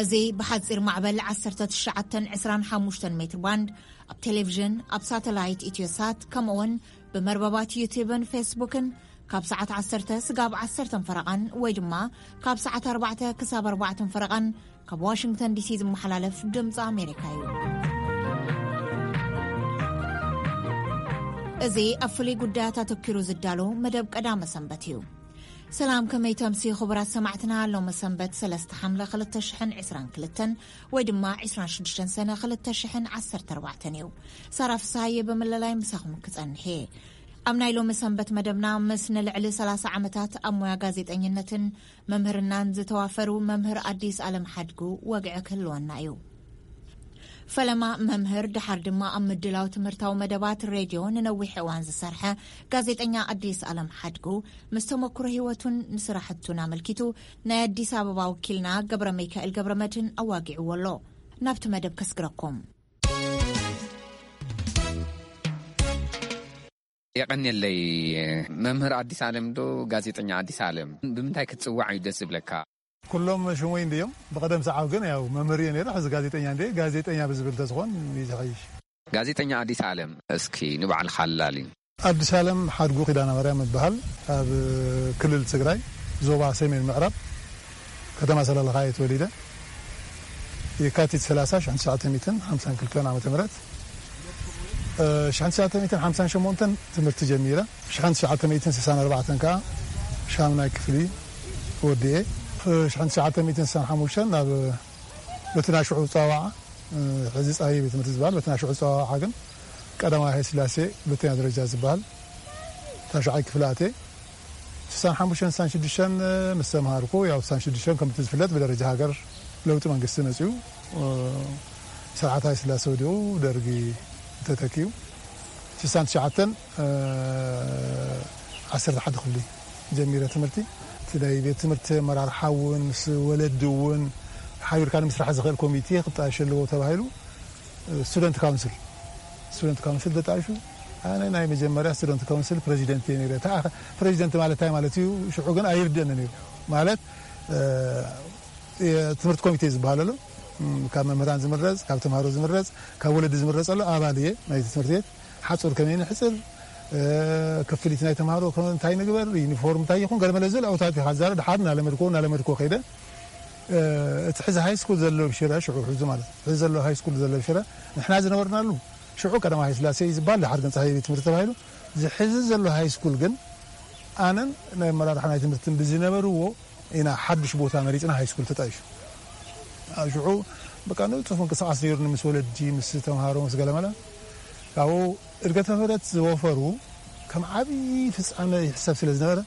እዚ ብሓጺር ማዕበል ዓሰርተ ትሽዓተ ዕስራን ሓሙሽተን ሜትር ባንድ ኣብ ቴሌቪዥን፣ ኣብ ሳተላይት ኢትዮሳት፣ ከምኡውን ብመርበባት ዩቲዩብን ፌስቡክን ካብ ሰዓት ዓሰርተ ስጋብ ዓሰርተ ፈረቓን ወይ ድማ ካብ ሰዓት ኣርባዕተ ክሳብ ኣርባዕተ ፈረቓን ካብ ዋሽንግተን ዲሲ ዝመሓላለፍ ድምፂ ኣሜሪካ እዩ። እዚ ኣብ ፍሉይ ጉዳያት ኣተኪሩ ዝዳሎ መደብ ቀዳመ ሰንበት እዩ። ሰላም፣ ከመይ ተምሲ ክቡራት ሰማዕትና? ሎሚ ሰንበት ሰለስተ ሓምለ ክልተ ሽሕን ዕስራን ክልተን ወይ ድማ ዕስራን ሽዱሽተን ሰነ ክልተ ሽሕን ዓሰርተ ኣርባዕተን እዩ። ሳራ ፍስሃየ ብምልላይ ምሳኹም ክጸንሕ እየ። ኣብ ናይ ሎሚ ሰንበት መደብና ምስ ንልዕሊ ሰላሳ ዓመታት ኣብ ሞያ ጋዜጠኝነትን መምህርናን ዝተዋፈሩ መምህር ኣዲስ ኣለም ሓድጉ ወግዒ ክህልወና እዩ። ፈለማ መምህር፣ ደሓር ድማ ኣብ ምድላው ትምህርታዊ መደባት ሬድዮ ንነዊሕ እዋን ዝሰርሐ ጋዜጠኛ ኣዲስ ኣለም ሓድጉ፣ ምስ ተመክሮ ህይወቱን ንስራሕቱን ኣመልኪቱ ናይ ኣዲስ ኣበባ ወኪልና ገብረ ሚካኤል ገብረ መድህን ኣዋጊዕዎ ኣሎ። ናብቲ መደብ ከስግረኩም። የቐንየለይ። መምህር ኣዲስ ኣለም ዶ ጋዜጠኛ ኣዲስ ኣለም? ብምንታይ ክትጽዋዕ እዩ ደስ ዝብለካ? ኩሎም ሽሙይ እንድዮም። ብቐደም ሰዓብ ግን ያው መምህር እየ ነይረ፣ ሕዚ ጋዜጠኛ እንድየ። ጋዜጠኛ ብዝብል ተዝኾን እዩ ዝሐይሽ። ጋዜጠኛ ኣዲስ ኣለም፣ እስኪ ንባዕልኻ ኣላሊ። ኣዲስ ኣለም ሓድጉ ኪዳነ ማርያም እበሃል። ኣብ ክልል ትግራይ ዞባ ሰሜን ምዕራብ ከተማ ሰለለኻ እየ ተወሊደ። የካቲት ሰላሳ ሽሕን ትሽዓተ ሚእትን ሓምሳን ክልተን ዓመተ ምህረት፣ እ፣ ሽሕን ትሽዓተ ሚእትን ሓምሳን ሸሞንተን ትምህርቲ ጀሚረ። ሽሕን ትሽዓተ ሚእትን ስሳን ኣርባዕተን ከኣ ሻምናይ ክፍሊ ወዲኤ። ሽሕን ትሽዓተ ሚእትን ስሳን ሓሙሽተን ናብ በቲ ናይ ሽዑ ጸዋዓ፣ እ፣ ሕዚ ጻሂ ቤት ትምህርቲ ዝበሃል፣ በቲ ናይ ሽዑ ጸዋዓ ግን ቀዳማዊ ሃይለ ስላሴ ሁለተኛ ደረጃ ዝበሃል ታሽዓይ ክፍሊ ኣትየ። ስሳን ሓሙሽተን ስሳን ሽዱሽተን ምስ ተምሃርኩ፣ ያው ስሳን ሽዱሽተን ከምቲ ዝፍለጥ ብደረጃ ሃገር ለውጢ መንግስቲ መጺኡ፣ እ፣ ስርዓት ሃይለ ስላሴ ወዲቑ ደርጊ ተተኪኡ። ስሳን ትሽዓተን፣ እ፣ ዓሰርተ ሓደ ክፍሊ ጀሚረ ትምህርቲ። እቲ ናይ ቤት ትምህርቲ ኣመራርሓ እውን ምስ ወለዲ እውን ሓቢርካ ንምስራሕ ዝኽእል ኮሚቴ ክጣየሽ ኣለዎ ተባሂሉ። ስቱደንት ካውንስል፣ ስቱደንት ካውንስል ተጣይሹ። ኣነ ናይ መጀመርያ ስቱደንት ካውንስል ፕሬዚደንት እየ ነይረ። ተኣ-፣ ፕሬዚደንት ማለት እንታይ ማለት እዩ? ሽዑ ግን ኣይርድእን ነይሩ። ማለት፣ እ፣ የትምህርቲ ኮሚቴ ዝበሃል ኣሎ። እም፣ ካብ መምህራን ዝምረጽ፣ ካብ ተምሃሮ ዝምረጽ፣ ካብ ወለዲ ዝምረጽ ኣሎ። ኣባል እየ ናይቲ ትምህርቲ ቤት። ሓጹር ከመይ ንሕጽር፣ እ፣ ክፍሊት ናይ ተምሃሮ ከ-፣ እንታይ ንግበር፣ ዩኒፎርም እንታይ ይኹን፣ ገለ መለ ዝብል ኣብታት ኢኻ ትዛረብ። ድሓር እናለመድኮ፣ እናለመድኮ ከይደ። እ፣ እቲ ሕዚ ሃይ ስኩል ዘሎ ኣብ ሽረ፣ ሽዑ ሕዚ ማለት፣ ሕዚ ዘሎ ሃይ ስኩል ዘሎ ኣብ ሽረ፣ ንሕና ዝነበርናሉ፣ ሽዑ ቀዳማዊ ሃይለ ስላሴ እዩ ዝበሃል፣ ድሓር ግን ጸሃየ ቤት ትምህርቲ ተባሂሉ። እዚ ሕዚ ዘሎ ሃይ ስኩል ግን፣ ኣነን ናይ ኣመራርሓ ናይ ትምህርትን ብዝነበርዎ ኢና ሓድሽ ቦታ መሪጽና ሃይ ስኩል ተጣይሹ። ኣብ ሽዑ በቃ ንጡፍ ምንቅስቓስ ነይሩኒ፣ ምስ ወለዲ፣ ምስ ተምሃሮ፣ ምስ ገለመለ። ካብኡ እድገተ ክህደት ዝወፈሩ ከም ዓብዪ ፍጻመ ይሕሰብ ስለ ዝነበረ፣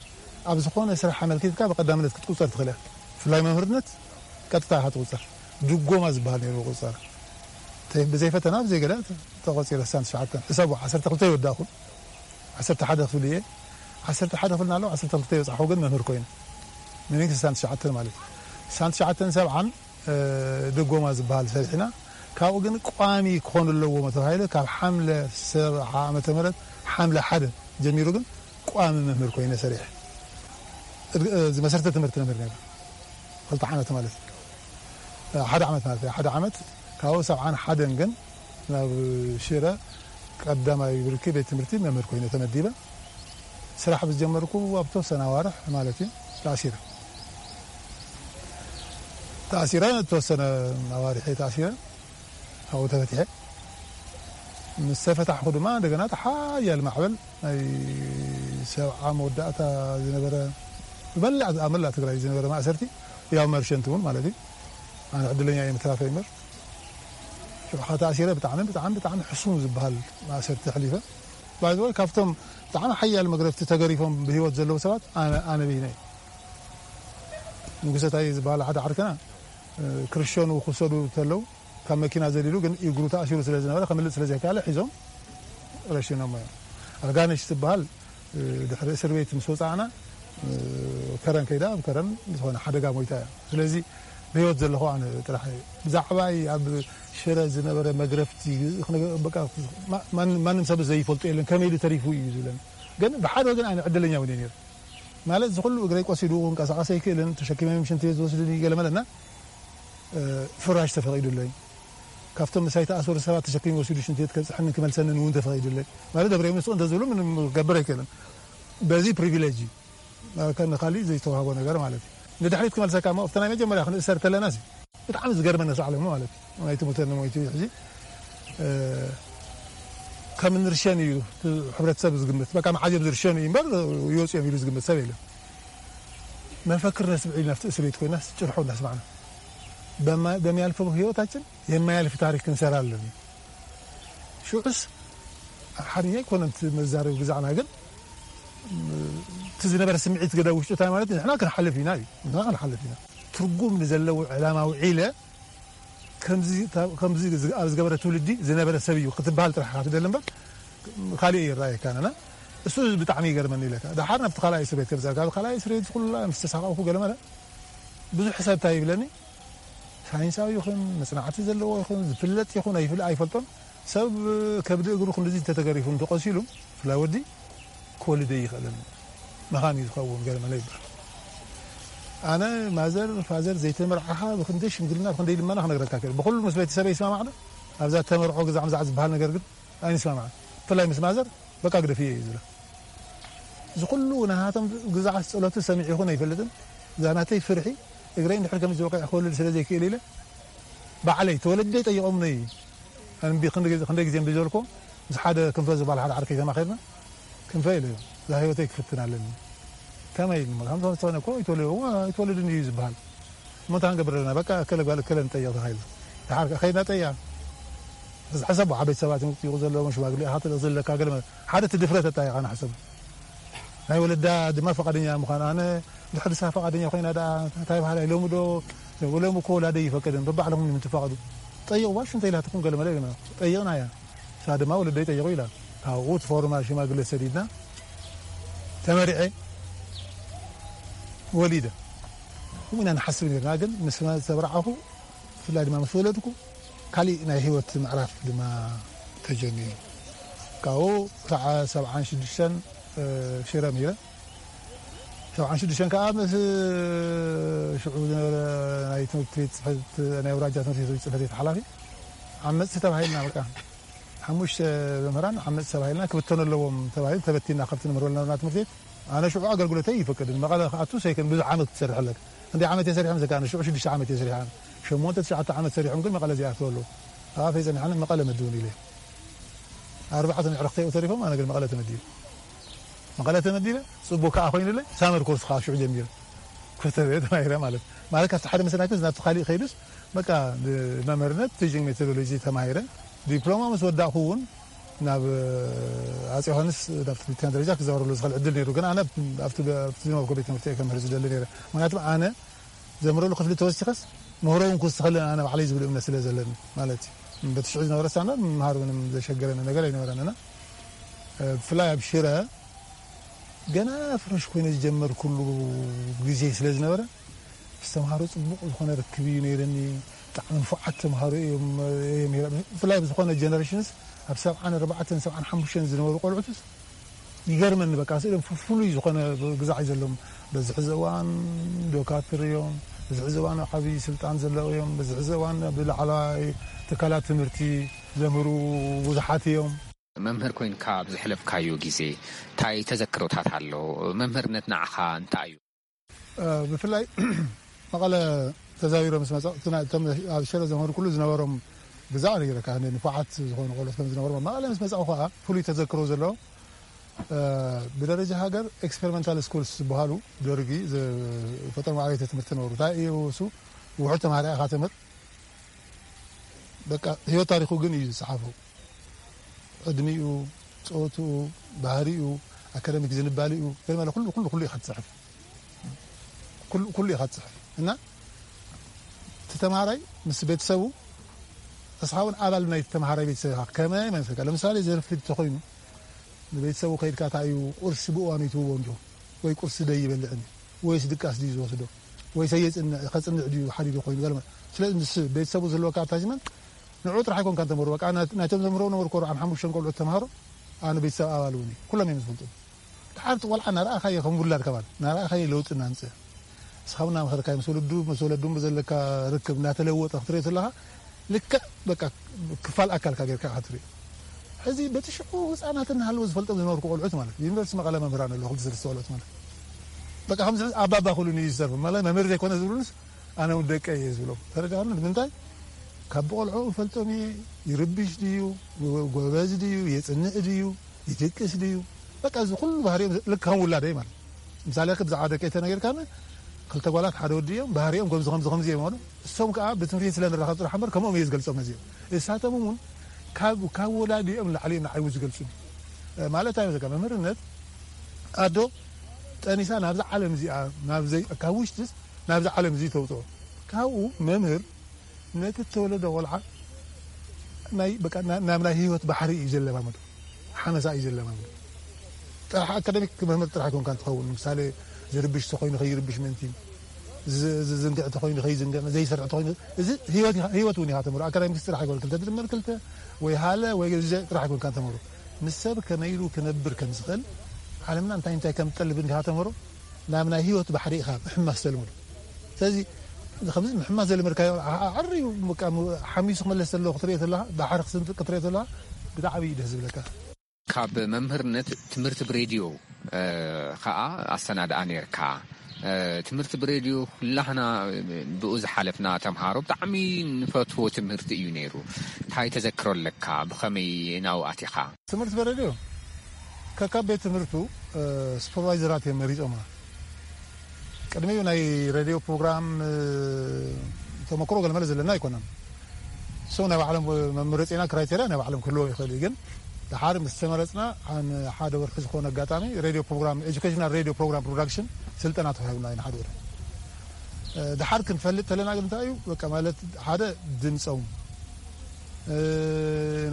ኣብ ዝኾነ ስራሕ ኣመልኪትካ ብቐዳምነት ክትቁጸር ትኽእል እያ። ብፍላይ መምህርነት ቀጥታ ኢኻ ትቑጸር። ድጎማ ዝበሃል ነይሩ ቁጸራ። እንተ-፣ ብዘይ ፈተና፣ ብዘይ ገለ ተቖጺረ። ስሳን ትሽዓተን፣ ሕሰቡ፣ ዓሰርተ ክልተ ይወዳእኹ። ዓሰርተ ሓደ ክፍሊ እየ። ዓሰርተ ሓደ ክፍሊ እናለኹ፣ ዓሰርተ ክልተ ይበጻሕኹ ግን መምህር ኮይነ። ሚኒንግ ስሳን ትሽዓተን ማለት እዩ። ስሳን ትሽዓተን ሰብዓን፣ እ፣ ድጎማ ዝበሃል ሰሪሕና። ካብኡ ግን ቋሚ ክኾኑ ኣለዎም ተባሂሉ፣ ካብ ሓምለ ሰብዓ ዓመተ ምህረት፣ ሓምለ ሓደ ጀሚሩ ግን ቋሚ መምህር ኮይነ ሰሪሐ። እድ-፣ እ፣ ዝመሰርተ ትምህርቲ መምህር ነይረ። ክልተ ዓመት ማለት እዩ። ሓደ ዓመት ማለት እዩ። ሓደ ዓመት፣ ካብኡ ሰብዓን ሓደን ግን ናብ ሽረ ቀዳማይ ብርኪ ቤት ትምህርቲ መምህር ኮይነ ተመዲበ። ስራሕ ብዝጀመርኩ ኣብ ተወሰነ ኣዋርሕ ማለት እዩ፣ ተኣሲረ። ተኣሲረ፣ ተወሰነ ኣዋርሕ እየ ተኣሲረ። ካብኡ ተፈቲሐ። ምስ ተፈታሕኩ ድማ እንደገና እቲ ሓያል ማዕበል ናይ ሰብዓ መወዳእታ ዝነበረ፣ ብመላእ፣ ኣብ መላእ ትግራይ ዝነበረ ማእሰርቲ፣ ያው መርሸንቲ እውን ማለት እዩ። ኣነ ዕድለኛ እየ ምትራፈይ እምበር። ሽዑ ተኣሲረ ብጣዕሚ፣ ብጣዕሚ፣ ብጣዕሚ ሕሱም ዝበሃል ማእሰርቲ ኣሕሊፈ። ባይ ዘ ወይ፣ ካብቶም ብጣዕሚ ሓያል መግረፍቲ ተገሪፎም ብህይወት ዘለዉ ሰባት ኣነ፣ ኣነ ብይነ እየ። ንጉሰ ታየ ዝበሃል ሓደ ዓርከና፣ እ፣ ክርሸኑ ክውሰዱ ተለዉ፣ ካብ መኪና ዘሊሉ ግን እግሩ ተኣሲሩ ስለ ዝነበረ፣ ከምልጥ ስለ ዘይከኣለ ሒዞም ረሽኖሞ እዮም። ኣልጋነሽ ትበሃል፣ እ፣ ድሕሪ እስር ቤት ምስ ወጻእና፣ እ፣ ከረን ከይዳ፣ ኣብ ከረን ዝኾነ ሓደጋ ሞይታ እያ። ስለዚ ብህይወት ዘለኹ ኣነ ጥራሕ እየ። ብዛዕባይ ኣብ ሽረ ዝነበረ መግረፍቲ፣ ክነገ-፣ በቃ፣ ማ-፣ ማን-፣ ማንም ሰብ ዘይፈልጦ የለን፣ ከመይ ኢሉ ተሪፉ እዩ ዝብለኒ። ግን ብሓደ ወገን ኣነ ዕድለኛ እውን እየ ነይረ። ማለት፣ እዚ ኩሉ እግረይ ቆሲሉ፣ ክንቀሳቐስ ኣይክእልን፣ ተሸኪሞም ሽንቲ ቤት ዝወስዱኒ፣ ገለ መለና። ፍራሽ ተፈቒዱለይ፣ ካብቶም ምሳይ ተኣሰሩ ሰባት ተሸኪሙ ወሲዱ ሽንቲ ቤት ከብፅሐንን ክመልሰንን እውን ተፈቒዱለይ። ማለት ደብረ ምስ እንተዝብሉ ምንም ክገብር ኣይክእልን። በዚ ፕሪቪሌጅ እዩ። ከም ንኻሊእ ዘይተዋህቦ ነገር ማለት እዩ። ንድሕሪት ክመልሰካ እሞ ኣብቲ ናይ መጀመርያ ክንእሰር ከለና ሲ ብጣዕሚ ዝገርመኒ ንሱ ዓለሙ ማለት እዩ። ናይ ትምህርተኒ ሞይቱ እዩ ሕጂ። ከም ንርሸን እዩ እቲ ሕብረተሰብ ዝግምት። በቃ መዓዝ እዮም ዝርሸኑ እዩ እምበር ይወፁ እዮም ኢሉ ዝግምት ሰብ የለን። መፈክር ነስምዕ ኢልና ኣብቲ እስር ቤት ኮይና ጭርሖ እናስማዕና በማ- በሚያልፈው ህይወታችን የማያልፍ ታሪክ ክንሰራ ኣለና። ሽዑስ ሓርኛ ኣይኮነን እቲ መዛረቢ ግዛዕና ግን እቲ ዝነበረ ስምዒት ገዳ ውሽጡ እንታይ ማለት እዩ? ንሕና ክንሓልፍ ኢና እዩ። ንሕና ክንሓልፍ ኢና። ትርጉም ንዘለዎ ዕላማ ውዒለ ከምዚ ኣብ ዝገበረ ትውልዲ ዝነበረ ሰብ እዩ ክትበሃል ጥራሕ ኢኻ ትደሊ እምበር ካልእ ይረኣየካ ነና። እሱ ብጣዕሚ ይገርመኒ ኢለካ። ደሓር ናብቲ ካልኣይ እስር ቤት ከምዛ ካብ ካልኣይ እስር ቤት ኩላ ምስ ተሳቐቕኩ ገለ መለ ብዙሕ ሰብ እንታይ ይብለኒ? ሳይንሳዊ ይኹን መጽናዕቲ ዘለዎ ይኹን ዝፍለጥ ይኹን ኣይፍል- ኣይፈልጦን ሰብ ከብዲ እግሩ ክንድዚ እንተተገሪፉ እንተቐሲሉ ብፍላይ ወዲ ክወልድ ኣይኽእልን መኻን እዩ ዝኸውን ገለ መለ ይበሃል። ኣነ ማዘር ፋዘር ዘይተመርዓኻ ብክንደይ ሽምግልና ብክንደይ ልመና ክነግረካ ክእል ብኩሉ ምስ ቤተሰበይ ይስማማዕ ዶ ኣብዛ ተመርዖ ግዛዕ ምዛዕ ዝበሃል ነገር ግን ኣይንስማማዕን ብፍላይ ምስ ማዘር በቃ ግደፍዮ እዩ ዝብላ እዚ ኩሉ ናሃቶም ግዛዓት ጸሎቱ ሰሚዑ ይኹን ኣይፈልጥን እዛ ናተይ ፍርሒ እግረይ እንድሕር ከምዚ ዝበቅዕ ክወልድ ስለ ዘይክእል ኢለ ባዕለይ ተወለደይ ጠይቖምኒ ኣንቢ ክንደይ ግዜ እምቢ ዝበልኮ ምስ ሓደ ክንፈ ዝበሃል ሓደ ዓርከይ ተማኺርና ክንፈ ኢለ እዛ ህይወተይ ክፍትን ኣለኒ ከመይ ኢልኒ ከም ዝኾነ እኮ ኣይትወለድን እዩ ዝበሃል እሞ እንታይ ክንገብር ኣለና በቃ እከለ ጓል እከለ ንጠይቕ ተባሂሉ ድሓር ከ ከይድና ጠይቕና ሕሰቦ ዓበይቲ ሰባት እዮም ክጥይቑ ዘለዎም ሽማግሌ ኢኻ ትልእኽ ዘለካ ገለ ሓደ እቲ ድፍረት ኣጣይቓና ሕሰቦ ናይ ወለዳ ድማ ፈቓደኛ ምዃን ኣነ ድሕር ንሳ ፈቓደኛ ኮይና ደኣ እንታይ በሃላይ ሎሚ ዶ ሎሚ እኮ ወላደይ ይፈቅድን በባዕልኹም ምትፋቕዱ ጠይቕዋ ሽንተ ኢላትኩም ገለ መለ ኢልና ጠይቕና እያ ንሳ ድማ ወለደይ ጠይቑ ኢላ ካብኡ እቲ ፎርማል ሽማግለ ሰዲድና ተመሪዐ ወሊደ ከምኡ ኢና ንሓስብ ነርና ግን ምስ ዝተብርዓኹ ብፍላይ ድማ ምስ ወለድኩ ካሊእ ናይ ህይወት ምዕራፍ ድማ ተጀሚሩ ካብኡ ክሳዕ ሰብዓን ሽዱሽተን ሽረ ምሂረ ሰብዓን ሽዱሽተን ከዓ ምስ ሽዑ ዝነበረ ናይ ትምህርቲ ቤት ፅሕፈት ናይ ኣውራጃ ትምህርቲ ቤት ፅሕፈት ቤት ሓላፊ ዓመፅቲ ተባሂልና በቃ ሓሙሽተ መምህራን ዓመፅቲ ተባሂልና ክብተኑ ኣለዎም ተባሂሉ ተበቲና ካብቲ ንምህሮ ዝነበርና ትምህርቲ ቤት ኣነ ሽዑ ኣገልግሎተይ ይፈቅድን መቐለ ክኣቱ ሰይክን ብዙሕ ዓመት ክትሰርሕ ኣለካ ክንደይ ዓመት እየ ሰሪሐ ምስካ ኣነ ሽዑ ሽዱሽተ ዓመት እየ ሰሪሐ ኣነ ሸሞንተ ትሽዓተ ዓመት ሰሪሖም ግን መቐለ ዘይኣትው ኣለዉ ኣብ ኣፈይ ፀኒሐ ኣነ መቐለ መድቡኒ ኢለ ኣርባዕተ ንዕረኽተይ ተሪፎም ኣነ ግን መቐለ ተመዲበ መቐለ ተመዲበ ፅቡቅ ከዓ ኮይኑለይ ሳመር ኮርስ ከዓ ሽዑ ጀሚረ ክፍተ ተማሂረ ማለት ማለት ካብቲ ሓደ መሰናክል ናብቲ ካሊእ ከይዱስ በቃ መምህርነት ቲችንግ ሜቶዶሎጂ ተማሂረ ዲፕሎማ ምስ ወዳእኩ እውን ናብ ኣጼ ዮሃንስ ናብ ክልተኛ ደረጃ ክዛወረሉ ዝኽእል ዕድል ነይሩ ግን ኣነ ኣብቲ ዝነበርኩ ቤት ትምህርቲ ከምህር ዝደሊ ነይረ ምክንያቱም ኣነ ዘምህረሉ ክፍሊ ተወሲኸስ ምህሮ እውን ክውስኸለን ኣነ ባዕለይ ዝብል እምነት ስለ ዘለኒ ማለት እዩ በቲ ሽዑ ዝነበረ ስታንዳርድ ምምሃር ምንም ዘሸገረኒ ነገር ኣይነበረን እና ብፍላይ ኣብ ሽረ ገና ፍረሽ ኮይነ ዝጀመርኩሉ ግዜ ስለ ዝነበረ ምስ ተምሃሮ ፅቡቕ ዝኾነ ርክብ እዩ ነይረኒ ብጣዕሚ ንፉዓት ተምሃሮ እዮም ብፍላይ ብዝኾነ ጀነሬሽንስ ኣብ ሰብዓን ኣርባዕተን ሰብዓን ሓሙሽተን ዝነበሩ ቆልዑትስ ይገርመኒ በቃ ስእሎም ፍሉይ ዝኾነ ግዛዕ ዘለዎም በዚ ሕዚ እዋን ዶካትር እዮም በዚ ሕዚ እዋን ዓብዪ ስልጣን ዘለዉ እዮም በዚ ሕዚ እዋን ብላዕለዋይ ትካላት ትምህርቲ ዘምህሩ ብዙሓት እዮም መምህር ኮይንካ ኣብ ዘሕለፍካዮ ግዜ እንታይ ተዘክሮታት ኣሎ? መምህርነት ንዓኻ እንታይ እዩ? ብፍላይ መቐለ ተዛዊረ ምስ መፀ እቶም ኣብ ሸረ ዘምህሩ ኩሉ ዝነበሮም ግዛዕ ነይረ ካብ ንፉዓት ዝኾኑ ቆልዑት ከም ዝነበሩ መቐለ ምስ መፃኡ ከዓ ፍሉይ ተዘክሮ ዘለዎ ብደረጃ ሃገር ኤክስፐሪመንታል ስኩልስ ዝበሃሉ ደርጊ ዝፈጠሮም ኣብያተ ትምህርቲ ነበሩ እንታይ እዩ እሱ ውሑድ ተማሃሪ ኢኻ ተምህር በቃ ህይወት ታሪኹ ግን እዩ ዝፀሓፎ ዕድሚኡ፣ ጾትኡ፣ ባህሪኡ፣ ኣካዳሚክ ዝንባሊኡ ገለ ኩሉ ኩሉ ኩሉ ኢኻ ትጽሕፍ። ኩሉ ኩሉ ኢኻ ትጽሕፍ እና እቲ ተማሃራይ ምስ ቤተሰቡ እስኻ እውን ኣባል ናይ ተማሃራይ ቤተሰብ ኢኻ። ከመይ መሰልካ? ለምሳሌ ዘርፍድ ተኾይኑ ንቤተሰቡ ከይድካ እንታይ እዩ ቁርሲ ብእዋኑ ይትውዎ እንዲኹም ወይ ቁርሲ ደይ ይበልዕን ወይስ ድቃስ ድዩ ዝወስዶ ወይስ ኣየጽንዕ ከጽንዕ ድዩ ሓዲዱ ኮይኑ ገለ ስለዚ ምስ ቤተሰቡ ዝህልወካ ኣታችመንት ንዑ ጥራሕ ኣይኮንካ ተምህሮ በቃ ናይቶም ዘምህሮ ነበርኩ ኣርብዓን ሓሙሽተን ቆልዑት ተምሃሮ ኣነ ቤተሰብ ኣባል እውን ኩሎም እዮም ዝፈልጡ ድሓር እቲ ቆልዓ እናረኣኻዮ ከም ውላድ ከባል እናረኣኻዮ ለውጢ እናምፅእ ንስኻ እውን እናመኸርካዮ ምስ ወለዱ ምስ ወለዱ ዘለካ ርክብ እናተለወጠ ክትሪኦ ዘለኻ፣ ልክዕ በቃ ክፋል ኣካልካ ጌርካ ክትሪኦ። ሕዚ በቲ ሽዑ ህፃናት እናሃለዉ ዝፈልጦም ዝነበርኩ ቆልዑት ማለት ዩኒቨርሲቲ መቐለ መምህራን ኣለዉ ክልተ ሰለስተ ቆልዑት ማለት በቃ ከምዚ ኣባባ ክብሉኒ እዩ ዝሰርፉ ማለት መምህር ዘይኮነ ዝብሉንስ ኣነ እውን ደቀ እየ ዝብሎም ተረዳእኒ ንምንታይ ካብ ብቆልዑ ፈልጦም እየ ይርብሽ ድዩ ጎበዝ ድዩ የፅንዕ ድዩ ይድቅስ ድዩ በቃ እዚ ኩሉ ባህሪኦም ልክ ከም ውላደይ ማለት ምሳሌ ብዛዕባ ደቀይ ተነገርካኒ ክልተ ጓላት ሓደ ወዲ እዮም ባህሪኦም ከምዚ ከምዚ ከምዚ እዮም ማለት እሶም ከዓ ብትምህርቲ ስለ ንራኸብ ጥራሕ እምበር ከምኦም እየ ዝገልፆም ነዚኦም እሳቶም እውን ካብ ካብ ወላዲኦም ንላዕሊ እዮም ንዓይ ዝገልፁ ማለት እንታይ መሰለካ መምህርነት ኣዶ ጠኒሳ ናብዛ ዓለም እዚኣ ካብ ውሽጥስ ናብዛ ዓለም እዚ ተውፅኦ ካብኡ መምህር ነቲ እተወለደ ቆልዓ ናይ በቃ ናብ ናይ ህይወት ባሕሪ እዩ ዘለማመዶ ሓመሳ እዩ ዘለማመዶ ጥራሕ ኣካደሚክ መምህር ጥራሕ ኣይኮንካ እንትኸውን ምሳሌ ዝርብሽ ተኮይኑ ከይርብሽ ምእንቲ ዝዝንግዕ ተኮይኑ ከይዝንግዕ ዘይሰርሕ ተኮይኑ እዚ ህይወት እውን ኢኻ ተምሮ ኣካዳሚክ ጥራሕ ኣይኮን ክልተ ድምር ክልተ ወይ ሃለ ወይ ጥራሕ ኣይኮንካ ተምሮ ምስ ሰብ ከመይ ኢሉ ክነብር ከም ዝኽእል ዓለምና እንታይ እንታይ ከም ትጠልብ እንዲኻ ተምሮ ናብ ናይ ህይወት ባሕሪ ኢኻ ምሕማስ ተልምዶ ስለዚ ከምዚ ምሕማስ ዘልምድካዮ ዓርዩ ሓሚሱ ክመለስ ዘሎ ክትሪኦ ተለካ ባሕሪ ክስንጥቅ ክትሪኦ ተለካ ብጣዕሚ እዩ ደስ ዝብለካ ካብ መምህርነት ትምህርቲ ብሬድዮ ከዓ ኣሰናድኣ ነርካ ትምህርቲ ብሬድዮ ኩላህና ብኡ ዝሓለፍና ተምሃሮ ብጣዕሚ ንፈትዎ ትምህርቲ እዩ ነይሩ እንታይ ተዘክሮ ኣለካ ብኸመይ ናብኡ ኣቲኻ ትምህርቲ ብሬድዮ ከካብ ቤት ትምህርቱ ሱፐርቫይዘራት እዮም መሪፆምና ቅድሚኡ ናይ ሬድዮ ፕሮግራም ተመክሮ ገለመለ ዘለና ኣይኮነን ሰው ናይ ባዕሎም መምረፂና ክራይቴርያ ናይ ባዕሎም ክህልዎ ይኽእል እዩ ግን ድሓር ምስ ተመረፅና ሓደ ወርሒ ዝኾነ ኣጋጣሚ ሬድዮ ፕሮግራም ኤጁኬሽናል ሬድዮ ፕሮግራም ፕሮዳክሽን ስልጠና ተዋሂብና እዩ ንሓደ ወርሒ ድሓር ክንፈልጥ ተለና ግን እንታይ እዩ በቃ ማለት ሓደ ድምፆም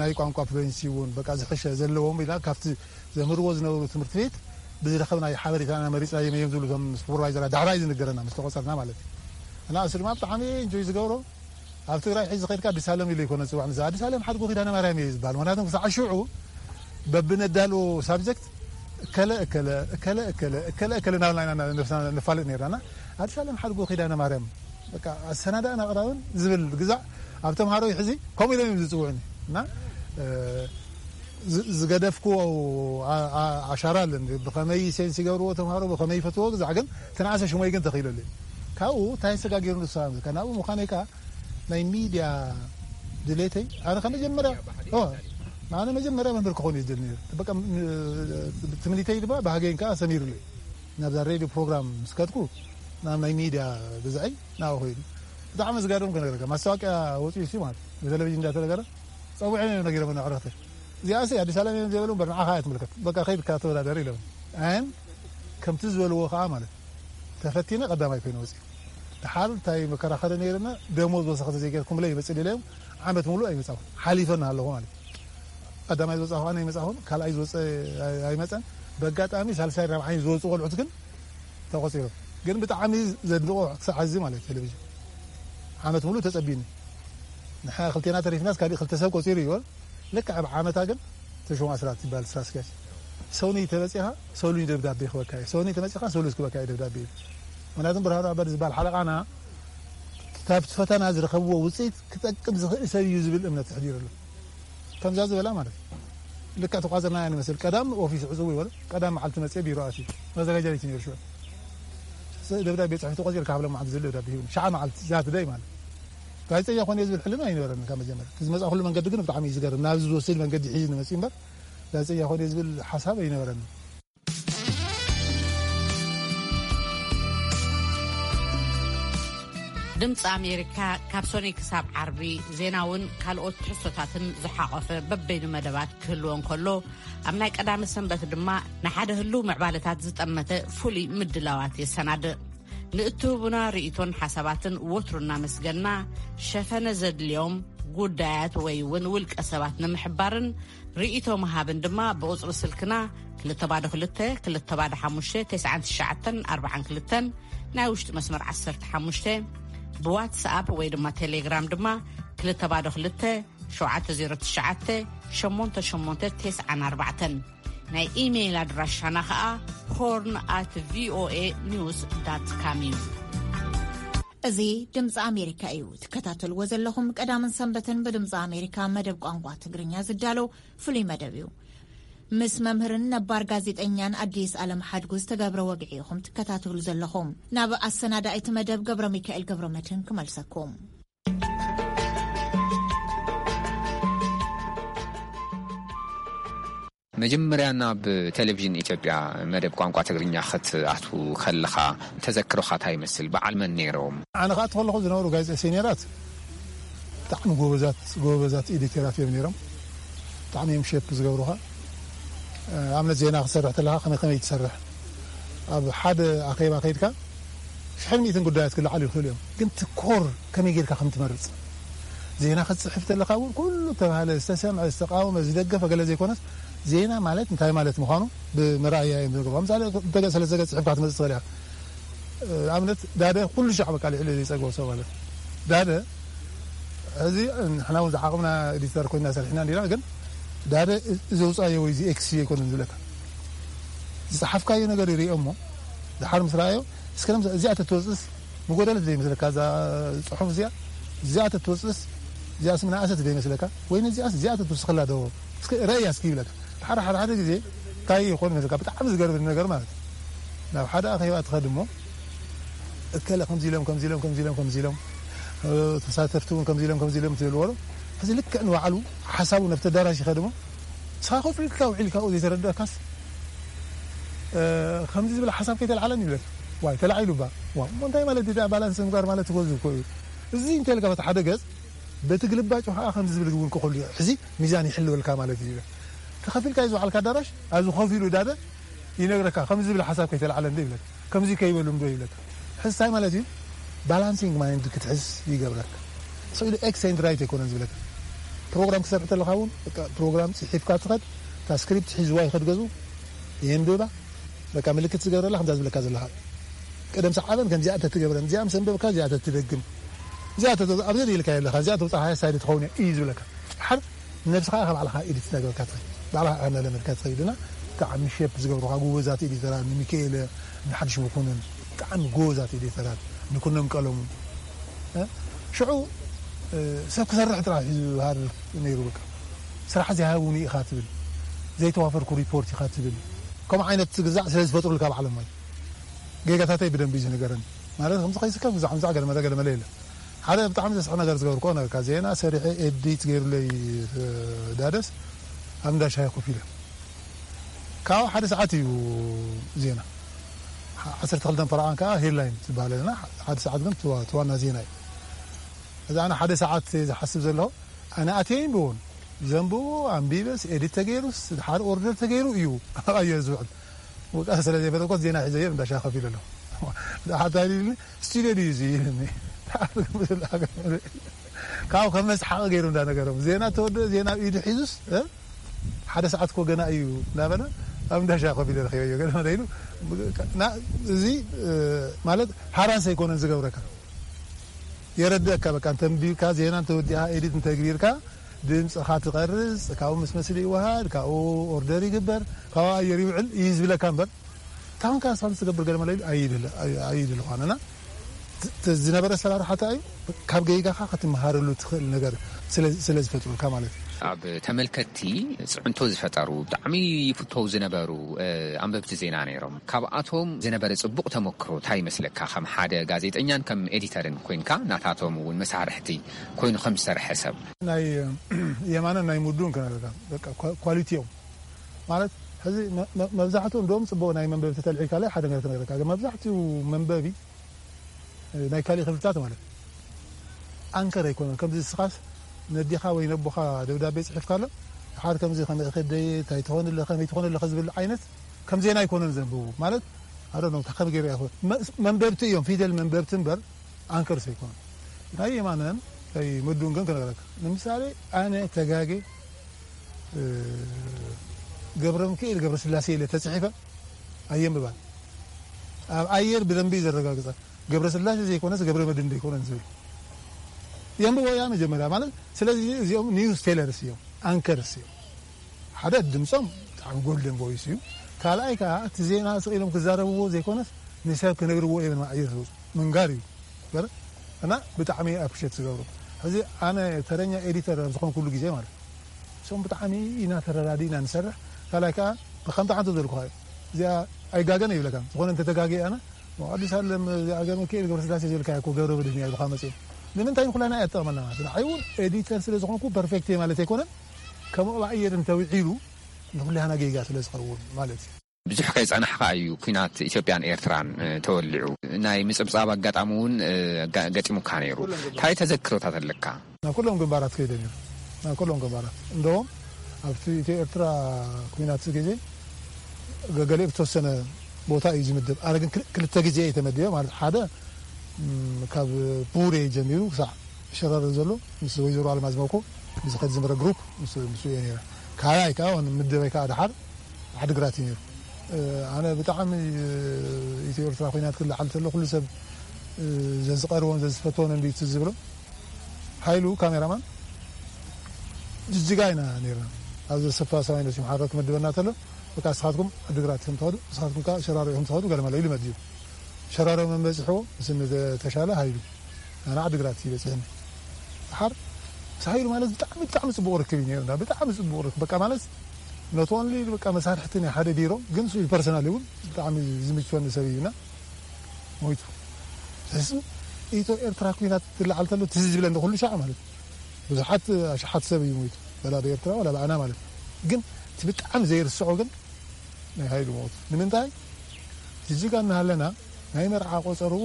ናይ ቋንቋ ፍሉንሲ እውን በቃ ዝሕሸ ዘለዎም ኢና ካብቲ ዘምህርዎ ዝነበሩ ትምህርቲ ቤት ብዝረኸብናዮ ሓበሬታና መሪፅናዮም እዮም ዝብሉ እቶም ሱፐርቫይዘራት ዳሕራይ ዝንገረና ምስ ተቆፀርና ማለት እዩ እና እሱ ድማ ብጣዕሚ እንጆይ ዝገብሮ ኣብ ትግራይ ሕዚ ከድካ ኣዲስ ኣለም ኢሉ ይኮነ ዝፅዋዕ ንዛ ኣዲስ ኣለም ሓድጎ ኪዳነ ማርያም እዩ ዝበሃል ምክንያቱም ክሳዕ ሽዑ በብነዳልዎ ሳብጀክት እከለ እከለ እከለ እከለ እከለ እከለ እናበልና ኢና ነብስና ነፋልጥ ነርና እና ኣዲስ ኣለም ሓድጎ ኪዳነ ማርያም በቃ ኣሰናዳእን ኣቕራብን ዝብል ግዛዕ ኣብ ተምሃሮ ሕዚ ከምኡ ኢሎም እዮም ዝፅውዑኒ እና ዝገደፍክዎ ኣሻራ ኣለኒ ብኸመይ ሴንስ ይገብርዎ ተምሃሮ ብኸመይ ይፈትዎ ግዛዕ ግን ትንኣሰ ሽሞይ ግን ተኽኢለሉ ካብኡ እንታይ ሰጋጊሩ ንሳ ናብኡ ምዃነይ ከዓ ናይ ሚድያ ድሌተይ ኣነ ከመጀመርያ ኣነ መጀመርያ መምህር ክኾን እዩ ዝደሊ ነይሩ ትምኒተይ ድማ ባህገይን ከዓ ሰሚሩለይ ናብዛ ሬድዮ ፕሮግራም ምስ ከድኩ ናብ ናይ ሚድያ ግዛዐይ ናብኡ ኮይኑ ብጣዕሚ ዝገርም ክነግረካ ማስታወቂያ ወፂኡ ሲ ማለት ብቴሌቪዥን እንዳተነገረ ፀዊዐ ነጊሮም ኣዕረኽተ እዚኣ ሲ ኣዲስ ኣለም እዮም ዘይበሉ እምበር ንዓኻ እያ ትምልከት በቃ ከይድካ ተወዳደር ኢሎም ኣን ከምቲ ዝበልዎ ከዓ ማለት ተፈቲነ ቀዳማይ ኮይኑ ወፂኡ ድሓር እንታይ መከራኸሪ ነይርና ደሞዝ ወሰኽቲ ዘይገርኩምለይ ይመፅእ ኢለዮም ዓመት ሙሉእ ኣይመፃኹ ሓሊፈና ኣለኹ ማለት ቀዳማይ ዝወፃ ከኣ ኣይመፃኹን ካልኣይ ዝወፀ ኣይመፀን ብኣጋጣሚ ሳልሳይ ራብዓይ ዝወፁ ቆልዑት ግን ተቆፂሮም ግን ብጣዕሚ ዘድንቆ ክሳዕ ሕዚ ማለት ቴሌቪዥን ዓመት ሙሉእ ተፀቢኒ ንሕና ክልቴና ተሪፍናስ ካሊእ ክልተ ሰብ ቆፂሩ እዩ ልክዕ ኣብ ዓመታ ግን ተሾመ ኣስራት ይበሃል ስራ ኣስኪያጅ ሰውኒ ተመፂኻ ሰሉኝ ደብዳቤ ክበካ እዩ ሰውኒ ተመፂኻ ሰሉስ ክበካ እዩ ደብዳቤ እዩ ምክንያቱም ብርሃኑ ኣበር ዝበሃል ሓለቃና ካብቲ ፈተና ዝረኸብዎ ውፅኢት ክጠቅም ዝኽእል ሰብ እዩ ዝብል እምነት ተሕዲሩ ኣሎ ከምዛ ዝበላ ማለት እዩ ልክዕ ተቋዘርና ንመስል ቀዳም ኦፊስ ዕፅው ይበለ ቀዳም መዓልቲ መፅአ ቢሮ ኣትዩ መዘጋጃ ቤት ነይሩ ሽዑ ደብዳቤ ፅሒፉ ተቆፂርካ ሃብሎም መዓልቲ ዝብል ደብዳቤ ሂቡኒ ሸዓ መዓልቲ ዛት ደይ ማለት ጋዜጠኛ ኮነ ዝብል ሕልና ኣይነበረኒ ካብ መጀመርያ እቲ ዝመፅኣኩሉ መንገዲ ግን ብጣዕሚ እዩ ዝገርም ናብዚ ዝወስድ መንገዲ ሒዙ ንመፅእ እምበር ጋዜጠኛ ኮነ ዝብል ሓሳብ ኣይነበረኒ ድምፂ ኣሜሪካ ካብ ሶኒ ክሳብ ዓርቢ ዜናውን ካልኦት ትሕዝቶታትን ዝሓቆፈ በበይኑ መደባት ክህልዎ እንከሎ ኣብ ናይ ቀዳሚ ሰንበት ድማ ንሓደ ህልው ምዕባለታት ዝጠመተ ፍሉይ ምድላዋት የሰናድእ ንእትህቡና ርእይቶን ሓሳባትን ወትሩ እናመስገና ሸፈነ ዘድልዮም ጉዳያት ወይ እውን ውልቀ ሰባት ንምሕባርን ርእይቶ ምሃብን ድማ ብቁፅሪ ስልክና ክልተ ባዶ ክልተ ክልተ ባዶ ሓሙሽተ ተስዓን ትሽዓተን ኣርባዓን ክልተን ናይ ውሽጢ መስመር ዓሰርተ ሓሙሽተ ብዋትስኣፕ ወይ ድማ ቴሌግራም ድማ ክልተ ባዶ ክልተ ሸውዓተ ዜሮ ትሽዓተ ሸሞንተ ሸሞንተ ተስዓን ኣርባዕተን ናይ ኢሜይል ኣድራሻና ኸኣ ሆርን ኣት ቪኦኤ ኒውስ ዳት ካም እዩ። እዚ ድምፂ ኣሜሪካ እዩ። ትከታተልዎ ዘለኹም ቀዳምን ሰንበትን ብድምፂ ኣሜሪካ መደብ ቋንቋ ትግርኛ ዝዳለው ፍሉይ መደብ እዩ። ምስ መምህርን ነባር ጋዜጠኛን ኣዲስ ኣለም ሓድጉ ዝተገብረ ወግዒ ኢኹም ትከታተሉ ዘለኹም። ናብ ኣሰናዳኢት መደብ ገብረ ሚካኤል ገብረ መድህን ክመልሰኩም። መጀመርያ ናብ ቴሌቪዥን ኢትዮጵያ መደብ ቋንቋ ትግርኛ ክትኣቱ ከለኻ ተዘክሮኻ እንታይ ይመስል? በዓል መን ነይሮም? ኣነ ክኣቱ ከለኹ ዝነበሩ ጋዜጠ ሲኒራት ብጣዕሚ ጎበዛት ጎበዛት ኤዲተራት እዮም ነይሮም። ብጣዕሚ እዮም ሸፕ ዝገብሩኻ። ኣብነት ዜና ክትሰርሕ ተለኻ ከመይ ከመይ ትሰርሕ ኣብ ሓደ ኣኼባ ከይድካ ሽሕን ሚእትን ጉዳያት ክለዓሉ ይኽእሉ እዮም። ግን ትኮር ከመይ ጌርካ ከም ትመርጽ ዜና ክትጽሕፍ ተለኻ እውን ኩሉ ተባህለ ዝተሰምዐ ዝተቃወመ ዝደገፈ ገለ ዘይኮነስ ዜና ማለት እንታይ ማለት ምዃኑ ብምርኣያ እዮም ዝነግሩ። ምሳሌ እንተ ሰለስተ ገጽ ጽሒፍካ ክትመጽእ ትኽእል ኢኻ። ኣብነት ዳደ ኩሉ ሻዕ በቃ ልዕሊ ዘይጸግቦ ሰብ ማለት ዳደ እዚ ንሕና እውን ዝዓቕምና ኤዲተር ኮይና ሰሪሕና እንዲና ግን ዳደ እዚ ውፃዮ ወይ እዚ ኤክስ ኣይኮነን ዝብለካ ዝፀሓፍካዮ ነገር ይሪኦ እሞ ድሓር ምስ ረኣዮ እስከ እዚኣ ተትወፅእስ ምጎደለት ዘይመስለካ እዛ ፅሑፍ እዚኣ እዚኣ ተትወፅእስ እዚኣ ስምና ኣሰት ዘይመስለካ ወይ ነዚኣስ እዚኣ ተትውስኽላ ዶ እስከ ረእያ እስኪ ይብለካ ሓደ ሓደ ሓደ ግዜ እንታይ ይኾን መስለካ ብጣዕሚ ዝገርም ነገር ማለት ናብ ሓደ ኣኼባ ትኸድ እሞ እከለ ከምዚ ኢሎም ከምዚ ኢሎም ከምዚ ኢሎም ከምዚ ኢሎም ተሳተፍቲ እውን ከምዚ ኢሎም ከምዚ ኢሎም ትብልዎ እዚ ልክዕ ንባዕሉ ሓሳቡ ነብቲ ኣዳራሽ ይኸድ እሞ ንስኻ ኮፍ ኢልካ ውዒልካ ኣብኡ ዘይተረድአካስ ከምዚ ዝብል ሓሳብ ከይተልዓለን ይብለካ ዋይ ተላዒሉ እባ ዋ እሞ እንታይ ማለት እዩ ባላንስ ምግባር ማለት ትጎዝ እኮ እዩ እዚ እንተልካ በቲ ሓደ ገፅ በቲ ግልባጭ ከዓ ከምዚ ዝብል እውን ክኸሉ እዩ ሕዚ ሚዛን ይሕልወልካ ማለት እዩ ተኸፊልካ እዩ ዝውዓልካ ኣዳራሽ ኣብዚ ኮፍ ኢሉ ዳደ ይነግረካ ከምዚ ዝብል ሓሳብ ከይተልዓለ እንዶ ይብለካ ከምዚ ከይበሉ እንዶ ይብለካ ሕስታይ ማለት እዩ ባላንሲንግ ማይንድ ክትሕዝ ይገብረካ ስኢሉ ኤክስ ኤንድ ራይት ኣይኮነን ዝብለካ ፕሮግራም ክሰርሕ ተለካ እውን ፕሮግራም ፅሒፍካ ትኸድ እታ ስክሪፕት ሒዝዋ ይኸድ ገዙ የንብባ በቃ ምልክት ዝገብረላ ከምዛ ዝብለካ ዘለካ ቅደም ሰዓበን ከምዚኣ ተትገብረን እዚኣ ምስ ኣንበብካ እዚኣ ተትደግም እዚኣ ኣብዚ ሪኢልካ የለካ እዚኣ ተውፃ ሃያ ሳይድ ትኸውን እዩ ዝብለካ ሓር ነብስኻ ኢኻ ባዕልኻ ኤዲት እናገበርካ ትኸይድ ባዕልኻ ኢኻ እናለመድካ ትኸይድ እና ብጣዕሚ ሼፕ ዝገብሩኻ ጎበዛት ኤዲተራት ንሚካኤለ ንሓድሽ መኮንን ብጣዕሚ ጎበዛት ኤዲተራት ንኩኖም ቀለሙ ሽዑ ሰብ ክሰርሕ ጥራሕ እዩ ዝሃርር ነይሩ በቃ ስራሕ ዘይሃቡኒ ኢኻ ትብል ዘይተዋፈርኩ ሪፖርት ኢኻ ትብል ከምኡ ዓይነት ግዛዕ ስለ ዝፈጥሩልካ ባዕሎም ማለት ጌጋታተይ ብደንቢ እዩ ዝነገረኒ ማለት ከምዚ ከይስከፍ ግዛዕ ምዛዕ ገለመለ ገለመለ የለን ሓደ ብጣዕሚ ዘስሕቕ ነገር ዝገበርኩ ነገርካ ዜና ሰሪሐ ኤዲት ገይሩለይ ዳደስ ኣብ እንዳ ሻሂ ኮፍ ኢለ ካብኡ ሓደ ሰዓት እዩ ዜና ዓሰርተ ክልተን ፈረቓን ከዓ ሄድላይን ትበሃል ኣለና ሓደ ሰዓት ግን ትዋና ዜና እዩ እዚ ኣነ ሓደ ሰዓት ዝሓስብ ዘለኹ ኣነ ኣትየ ይንብቦን ዘንብቦ ኣንቢበስ ኤዲት ተገይሩስ ድሓር ኦርደር ተገይሩ እዩ ኣብ ኣየር ዝውዕል ወቃ ስለ ዘይፈለኮት ዜና ሒዘዮ እንዳ ሻሂ ኮፍ ኢለ ኣለኹ ሓታ ስቱድዮ ድዩ እዚ ኢልኒ ካብ ከም መስሓቂ ገይሩ እንዳነገሮም ዜና ተወደ ዜና ኣብ ኢዱ ሒዙስ ሓደ ሰዓት ኮ ገና እዩ እንዳበለ ኣብ እንዳሻ ኮፍ ኢለ ረኺበዮ ገለ ኢሉ እዚ ማለት ሃራስ ኣይኮነን ዝገብረካ የረድአካ በቃ እንተንቢብካ ዜና እንተወዲኣ ኤዲት እንተግቢርካ ድምፅኻ ትቐርፅ ካብኡ ምስ መስሊ ይወሃድ ካብኡ ኦርደር ይግበር ካብኡ ኣየር ይውዕል እዩ ዝብለካ እምበር ታውን ካስፋል ዝገብር ገለ መለ ኣይድል ኣይድል ኳነና ዝነበረ ኣሰራርሓ እንታይ እዩ ካብ ገይጋኻ ክትመሃረሉ ትኽእል ነገር ስለ ዝፈጥሩልካ ማለት እዩ ኣብ ተመልከትቲ ፅዕንቶ ዝፈጠሩ ብጣዕሚ ይፍተው ዝነበሩ ኣንበብቲ ዜና ነይሮም ካብኣቶም ዝነበረ ፅቡቕ ተመክሮ እንታይ ይመስለካ ከም ሓደ ጋዜጠኛን ከም ኤዲተርን ኮይንካ ናታቶም እውን መሳርሕቲ ኮይኑ ከም ዝሰርሐ ሰብ ናይ የማነን ናይ ሙዱን ክነግረካ ኳሊቲ እዮም ማለት ሕዚ መብዛሕትኡ እንደውም ፅቡቅ ናይ መንበቢ ተተልዒልካ ላይ ሓደ ነገር ክነግረካ መብዛሕትኡ መንበቢ ናይ ካሊእ ክፍልታት ማለት ኣንከር ኣይኮነን ከምዚ ስኻስ ነዲኻ ወይ ነቦኻ ደብዳቤ ፅሒፍካ ኣሎ ሓደ ከምዚ ከመይ ከደየ እንታይ ትኾን ኣለኸ ከመይ ትኾን ኣለኸ ዝብል ዓይነት ከም ዜና ኣይኮነን ዘንብቡ ማለት ኣዶ ነው ከም ገይሩ ያኾ መንበብቲ እዮም ፊደል መንበብቲ እምበር ኣንከርስ ኣይኮነን ናይ የማነን ናይ መዱን ግን ክነግረካ ንምሳሌ ኣነ ተጋጌ ገብረ ሚካኤል ገብረ ስላሴ ኢለ ተፅሒፈ ኣየንብባን ኣብ ኣየር ብደንቢ ዘረጋግፀ ገብረ ስላሴ ዘይኮነስ ገብረ መድን ዘይኮነን ዝብል የንብቦ ያ መጀመርያ ማለት ስለዚ እዚኦም ኒውስ ቴለርስ እዮም ኣንከርስ እዮም ሓደ ድምፆም ብጣዕሚ ጎልደን ቮይስ እዩ ካልኣይ ከዓ እቲ ዜና ስቕ ኢሎም ክዛረብዎ ዘይኮነስ ንሰብ ክነግርዎ እዮም ኣየር ዝወፁ ምንጋር እዩ እና ብጣዕሚ ኣፕሪሼት ዝገብሩ። ሕዚ ኣነ ተረኛ ኤዲተር ኣብ ዝኾንኩሉ ግዜ ማለት እሶም ብጣዕሚ ኢና ተረዳዲእና ንሰርሕ። ካልኣይ ከዓ ብከምቲ ሓንቲ ዘልኩኻ እዩ። እዚኣ ኣይጋገን ይብለካ። ዝኾነ እንተተጋገየ ኣነ ኣዲስ ኣለም እዚኣ ገብረ ሚካኤል ገብረስላሴ ዝብልካ እኮ ገብረ መድህን እያ ዝኻ መፅኡ። ንምንታይ ንኩላና እያ ትጠቕመና ማለት ንዓይ እውን ኤዲተር ስለ ዝኾንኩ ፐርፌክት እየ ማለት ኣይኮነን። ከም ኣየር እንተውዒሉ ንኩላና ጌጋ ስለ ዝኸውን ማለት እዩ። ብዙሕ ከይጸናሕካ እዩ ኲናት ኢትዮጵያን ኤርትራን ተወሊዑ። ናይ ምጽብጻብ ኣጋጣሚ እውን ገጢሙካ ነይሩ። እንታይ ተዘክሮታት ኣለካ? ናብ ኩሎም ግንባራት ከይደ ነይሩ። ናብ ኩሎም ግንባራት እንደውም ኣብቲ ኢትዮ ኤርትራ ኲናት ግዜ ገገሌ ብተወሰነ ቦታ እዩ ዝምደብ። ኣነ ግን ክልተ ግዜ እየ ተመዲበ ማለት ሓደ ካብ ቡሬ ጀሚሩ ክሳዕ ሸረር ዘሎ ምስ ወይዘሮ ኣልማዝ መኮ ዝኸድ ዝነበረ ግሩፕ ምስ እየ ነይረ። ካልኣይ ከዓ ምደበይ ከዓ ድሓር ዓድግራት እዩ ነይሩ። ኣነ ብጣዕሚ ኢትዮ ኤርትራ ኮይናት ክለዓል ተሎ ኩሉ ሰብ ዘዝቀርቦን ዘዝፈተወን እንዲ ትዝ ዝብሎ ሓይሉ ካሜራማን ጅጅጋ ኢና ነርና። ኣብዚ ሰፋ ሰማይ ነሲም ሓረር ክምድበና ተሎ በቃ ንስኻትኩም ዓድግራት ኢኹም ትኸዱ፣ ንስኻትኩም ከዓ ሸራሮ ኢኹም ትኸዱ ገለ መለ ኢሉ መዲቡ። ሸራሮ መን በፂሕዎ? ምስ እኒ ተሻለ ሃይሉ። ኣነ ዓድግራት እዩ በፂሕኒ። ድሓር ምስ ሃይሉ ማለት ብጣዕሚ ብጣዕሚ ፅቡቕ ርክብ እዩ ነይሩና። ብጣዕሚ ፅቡቕ ርክብ በቃ ማለት ኖት ኦንሊ በቃ መሳርሕቲ ናይ ሓደ ቢሮ ግን ንሱ ፐርሰናል እውን ብጣዕሚ ዝምችወኒ ሰብ እዩና ሞይቱ። ስለዚ ኢትዮ ኤርትራ ኩናት ትለዓል ተሎ ትዝ ዝብለኒ ኩሉ ሻዕ ማለት ብዙሓት ኣሽሓት ሰብ እዩ ሞይቱ። በላ ብኤርትራ ወላ ብኣና ማለት ግን እቲ ብጣዕሚ ዘይርስዖ ግን ናይ ሃይሉ ሞት ንምንታይ ጅጅጋ እናሃለና ናይ መርዓ ቆፀርኡ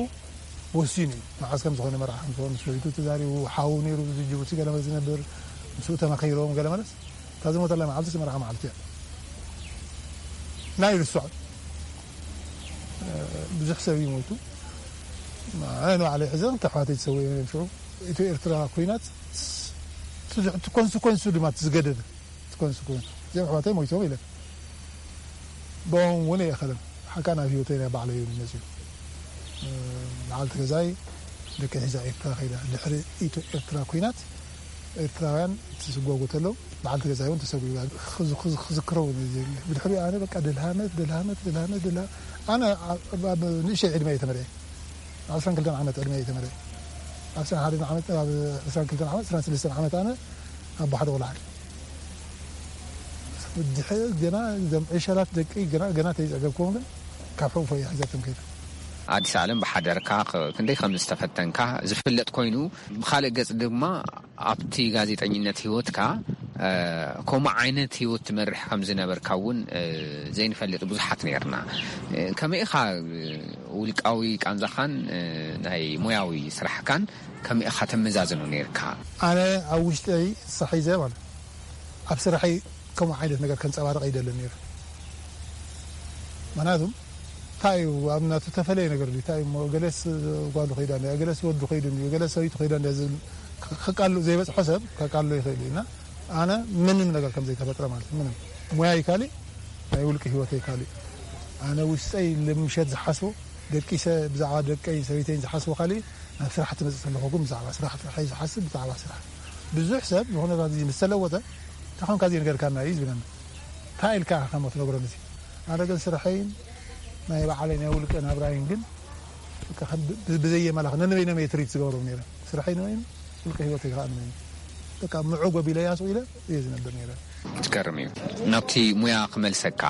ወሲኑ እዩ። መዓዝ ከም ዝኾነ መርዓ ከም ዝኾነ ምስ ወይቱ ተዛሪቡ ሓው ነይሩ እዚ ጅቡቲ ገለመ ዝነብር ምስኡ ተመኺሮም ገለመለስ እታ ዝሞተላ መዓልቲ መርዓ መዓልቲ እያ። ናይ ርስዖ ብዙሕ ሰብ እዩ ሞይቱ። ኣነ ንባዕለይ ሕዘን ተሕዋተይ ዝሰውየ ሽዑ ኢትዮ ኤርትራ ኩናት እቲ ኮንስኮንሱ ድማ እቲ ዝገደደ እቲ ኮንስኮንሱ እዚኦም ኣሕዋተይ ሞይቶም ኢለ ብኦም እውን የኸለም ሓቃ ናብ ህይወተይ ናይ ባዕለይ እዩ መፅዩ። በዓልቲ ገዛይ ደቂ ሒዛ ኤርትራ ከይዳ ድሕሪ ኢትዮ ኤርትራ ኩናት ኤርትራውያን ትስጓጉ ተለው በዓልቲ ገዛይ እውን ተሰጉ ክዝክረው ብድሕሪኡ ኣነ በቃ ድልሃመት ድልሃመት ድልሃመት ድልሃ ኣነ ንእሸይ ዕድመ እየ ተመርዐ ዓስራን ክልተን ዓመት ዕድመ እየ ተመርዐ ዓስራን ሓደን ዓመት ኣብ ዓስራን ክልተን ዓመት ዓስራን ሰለስተን ዓመት ኣነ ኣብ ባሕሪ ቆልዓ ድሕር ገና እዞም ዕሸላት ደቂ ገና ገና ተይፀገብኩም ግን ካብ ሕውፎ እየ ሒዘትም ከይደ ኣዲስ ኣለም ብሓደርካ ክንደይ ከም ዝተፈተንካ ዝፍለጥ ኮይኑ ብካልእ ገፅ ድማ ኣብቲ ጋዜጠኝነት ህይወትካ ከምኡ ዓይነት ህይወት ትመርሕ ከም ዝነበርካ እውን ዘይንፈልጥ ብዙሓት ነርና። ከመይ ኢኻ ውልቃዊ ቃንዛኻን ናይ ሞያዊ ስራሕካን ከመይ ኢኻ ተመዛዝኖ ነርካ? ኣነ ኣብ ውሽጠይ ሳሒዘ ማለት ኣብ ስራሐይ ከምኡ ዓይነት ነገር ከንፀባርቕ ኣይደልን ነይረ። ምክንያቱም እንታይ እዩ ኣብ ናቱ ተፈለየ ነገር ድዩ? እንታይ እሞ ገለስ ጓሉ ከይዳ እንድያ፣ ገለስ ወዱ ከይዱ እንድዩ፣ ገለስ ሰበይቱ ከይዳ እንድያ ዝብል ከቃሉ ዘይበፅሖ ሰብ ከቃሉ ይኽእል እዩ እና ኣነ ምንም ነገር ከም ዘይተፈጥረ ማለት እዩ። ምንም ሞያይ ካሊእ ናይ ውልቂ ህይወተይ ካሊእ ኣነ ውሽጠይ ልምሸት ዝሓስቦ ደቂሰ ብዛዕባ ደቀይ ሰበይተይን ዝሓስቦ ካሊእ ናብ ስራሕ ትመፅእ ከለኹ ግን ብዛዕባ ስራሕ ጥራሕ እዩ ዝሓስብ ብዛዕባ ስራሕ ብዙሕ ሰብ ዝኾነ ግዜ ምስ ተለወጠ እንታይ ኮንካ እዚ ነገርካና እዩ ዝብለና እንታይ ኢልካ ኢኻ ከም ትነግሮን እዚ ኣነ ግን ስርሐይን ናይ ባዕለይ ናይ ውልቀ ናብራይን ግን ብዘየመላኽ ነንበይኖም እየ ትሪት ዝገብሮም ነይረ ስርሐይ ንበይኑ ውልቀ ህይወተይ ከዓ ንበይኑ በቃ ምዑ ጎቢለያ ስቕ ኢለ እየ ዝነብር ነይረ ትገርም እዩ ናብቲ ሙያ ክመልሰካ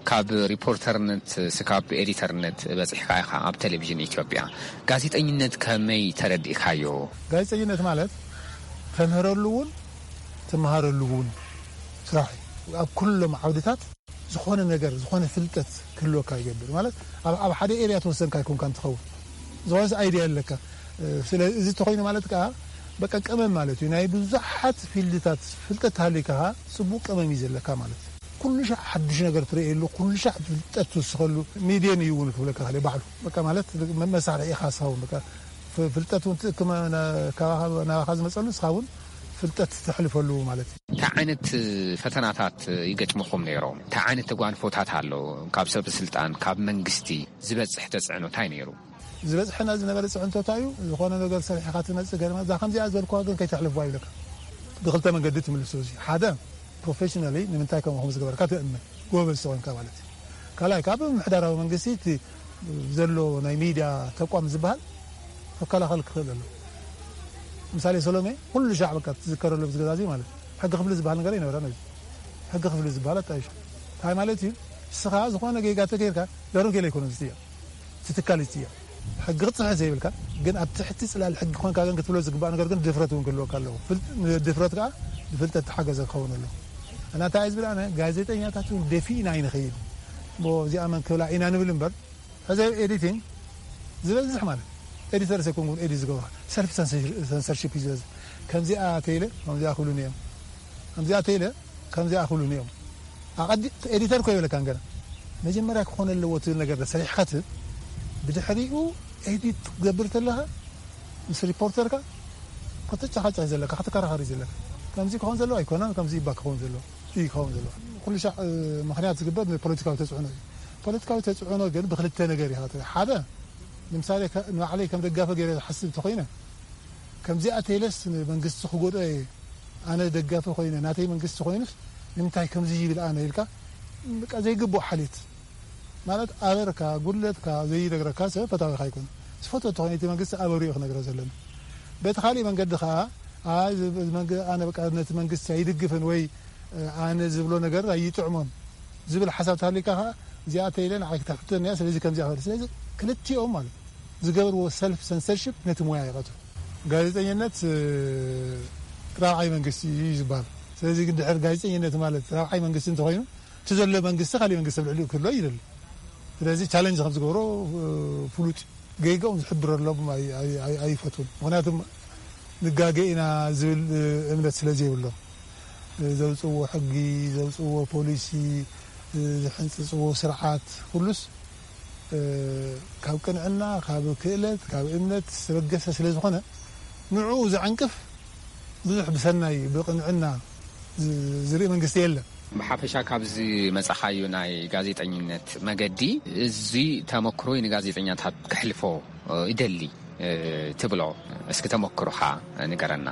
ካብ ሪፖርተርነት ስካብ ኤዲተርነት በፂሕካ ኢኻ ኣብ ቴሌቪዥን ኢትዮጵያ ጋዜጠኝነት ከመይ ተረዲእካዮ ጋዜጠኝነት ማለት ተምህረሉ እውን ትመሃረሉ እውን ስራሕ ኣብ ኩሎም ዓውድታት ዝኾነ ነገር ዝኾነ ፍልጠት ክህልወካ ይገብር ማለት ኣብ ሓደ ኤርያ ተወሰንካ ኣይኮንካ እንትኸውን ዝኾነስ ኣይድያ ኣለካ ስለ እዚ ተኮይኑ ማለት ከዓ በቃ ቀመም ማለት እዩ ናይ ብዙሓት ፊልድታት ፍልጠት ተሃሊካ ከዓ ፅቡቅ ቀመም እዩ ዘለካ ማለት ኩሉ ሻዕ ሓዱሽ ነገር ትርእየሉ ኩሉ ሻዕ ፍልጠት ትውስኸሉ ሚድየን እዩ እውን ክብለካ ክእል ባዕሉ በቃ ማለት መሳርሒ ኢኻ ስኸውን በቃ ፍልጠት እውን ትእክመ ናባኻ ዝመፀሉ ንስኻ እውን ፍልጠት ተሕልፈሉ ማለት እዩ። እንታይ ዓይነት ፈተናታት ይገጥምኹም ነይሮም? እንታይ ዓይነት ተጓንፎታት ኣሎ? ካብ ሰብ ስልጣን፣ ካብ መንግስቲ ዝበፅሕ ተፅዕኖ እንታይ ነይሩ? ዝበፅሐና ዝነበረ ፅዕንቶታ እዩ። ዝኾነ ነገር ሰሪሕኻ ትመፅእ ገለ እዛ ከምዚኣ ዘልኩዋ ግን ከይተሕልፍዋ ይብለካ። ብክልተ መንገዲ ትምልሶ እዚ ሓደ ፕሮፌሽናሊ ንምንታይ ከምኡ ከም ዝገበርካ ትእመን ጎበዝ ተኾንካ ማለት እዩ። ካልኣይ ካብ ምሕዳራዊ መንግስቲ እቲ ዘሎ ናይ ሚድያ ተቋም ዝበሃል ክከላኸል ክኽእል ኣሎ። ምሳሌ ሰሎሜ ኩሉ ሻዕ በቃ ትዝከረሉ ኣብዚ ገዛ እዚ ማለት ሕጊ ክፍሊ ዝበሃል ነገር ኣይነበረን። ሕጊ ክፍሊ ዝበሃል ኣጣይሹ እንታይ ማለት እዩ? ንስኻ ዝኾነ ጌጋ ተገይርካ ዳሩን ገለ ኣይኮነን ዝጥየቕ፣ እቲ ትካል እዩ ዝጥየቕ። ሕጊ ክትፅሕፍ ዘይብልካ ግን ኣብ ትሕቲ ፅላል ሕጊ ኮንካ ግን ክትብሎ ዝግባእ ነገር ግን ድፍረት እውን ክህልወካ ኣለዎ። ፍል- ድፍረት ከዓ ብፍልጠት ተሓገዘ ክኸውን ኣለዎ። እና እንታይ ዝብል ኣነ ጋዜጠኛታት እውን ደፊእና ኣይንኸይድ። እሞ እዚኣ መን ክብላ ኢና ንብል እምበር ሕዚ ኤዲቲንግ ዝበዝሕ ማለት ኤዲተር ሰይኮንኩን ኤዲት ዝገብሩ ሰልፍ ሰንሰርሽፕ እዩ ዝበዝሕ። ከምዚኣ ተይለ ከምዚኣ ክብሉኒ እዮም፣ ከምዚኣ ተይለ ከምዚኣ ክብሉኒ እዮም። ኣቐዲ ኤዲተር እኮ ይበለካን ገና መጀመርያ ክኾነ ኣለዎ ትብል ነገር ሰሪሕካ ትብ ብድሕሪኡ ኤዲት ክትገብር ተለኻ ምስ ሪፖርተርካ ከተጨቃጨቅ ዘለካ ከተከራኸር ዘለካ ከምዚ ክኸውን ዘለዎ ኣይኮነን፣ ከምዚ ይባ ክኸውን ዘለዎ እዩ ክኸውን ዘለዎ። ኩሉ ሻዕ ምክንያት ዝግበር ንፖለቲካዊ ተፅዕኖ እዩ። ፖለቲካዊ ተፅዕኖ ግን ብክልተ ነገር ይኸተ ሓደ ንምሳሌ ንባዕለይ ከም ደጋፈ ገይረ ዝሓስብ እንተኮይነ ከምዚኣ ተይለስ ንመንግስቲ ክጎድኦ እየ፣ ኣነ ደጋፊ ኮይነ ናተይ መንግስቲ ኮይኑስ ንምንታይ ከምዚ ይብል ኣነ ኢልካ በቃ ዘይግብኦ ሓልዮት ማለት ኣበርካ ጉድለትካ ዘይነግረካ ሰብ ፈታዊካ ኣይኮነ። ዝፈትወ እንተኮይነ እቲ መንግስቲ ኣበሪኡ ክነግረ ዘለና። በቲ ካሊእ መንገዲ ከዓ ኣይ እዚ መንግ- ኣነ በቃ ነቲ መንግስቲ ኣይድግፍን ወይ ኣነ ዝብሎ ነገር ኣይጥዕሞን ዝብል ሓሳብ ተሃሊካ ከዓ እዚኣ ተይለ ንዓይ ክተሕተኒ እያ ስለዚ ከምዚኣ ክብል ስለዚ ክልቲኦም ማለት ዝገብርዎ ሰልፍ ሰንሰርሽፕ ነቲ ሞያ ይቐትሉ። ጋዜጠኝነት ራብዓይ መንግስቲ እዩ ዝበሃል። ስለዚ ግን ድሕር ጋዜጠኝነት ማለት ራብዓይ መንግስቲ እንተኮይኑ እቲ ዘሎ መንግስቲ ካሊእ መንግስቲ ኣብ ልዕሊኡ ክህሎ ይደሊ። ስለዚ ቻለንጅ ከም ዝገብሮ ፍሉጥ ገይገኦም ዝሕብረሎም ኣይፈትውን። ምክንያቱም ንጋገ ኢና ዝብል እምነት ስለ ዘይብሎም ዘውፅዎ ሕጊ ዘውፅዎ ፖሊሲ ዝሕንፅፅዎ ስርዓት ኩሉስ ካብ ቅንዕና ካብ ክእለት ካብ እምነት ዝተበገሰ ስለ ዝኾነ ንዕኡ ዝዕንቅፍ ብዙሕ ብሰናይ ብቕንዕና ዝርኢ መንግስቲ የለን። ብሓፈሻ ካብዚ መጻኻዩ ናይ ጋዜጠኝነት መገዲ እዚ ተመክሮይ ንጋዜጠኛታት ክሕልፎ ይደሊ ትብሎ እስኪ ተመክሮኻ ንገረና።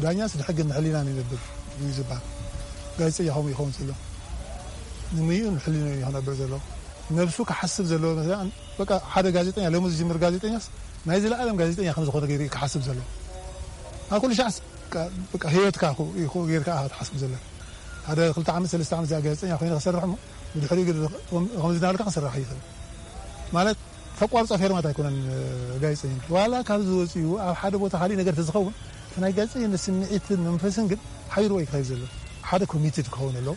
ዳኛስ ንሕግን ንሕሊናን ይነብር እዩ ዝበሃል። ጋዜጠኛ ከምኡ ይኸውን ዘሎ ንምዩን ሕሊናን እዩ ክነብር ዘሎ። ነብሱ ክሓስብ ዘለዎ መስለኒ በቃ ሓደ ጋዜጠኛ ሎሚ ዝጅምር ጋዜጠኛስ ናይ ዘለኣለም ጋዜጠኛ ከም ዝኾነ ገይሩ ክሓስብ ዘሎ። ኣብ ኩሉ ሻዕስ በቃ ህይወትካ ጌርካ ትሓስብ ዘሎ። ሓደ ክልተ ዓመት ሰለስተ ዓመት እዚኣ ጋዜጠኛ ኮይነ ክሰርሕ እሞ ብድሕሪኡ ግን ከምዚ እናበልካ ክስራሕ ይኽእል ማለት ተቋርፆ ፌርማት ኣይኮነን። ጋዜጠኛ ዋላ ካብ ዝወፅኡ ኣብ ሓደ ቦታ ካሊእ ነገር ተዝኸውን እቲ ናይ ጋዜጠኛ ስምዒትን መንፈስን ግን ሓይሩ ወይ ክኸይድ ዘሎ ሓደ ኮሚትድ ክኸውን ኣለዎ።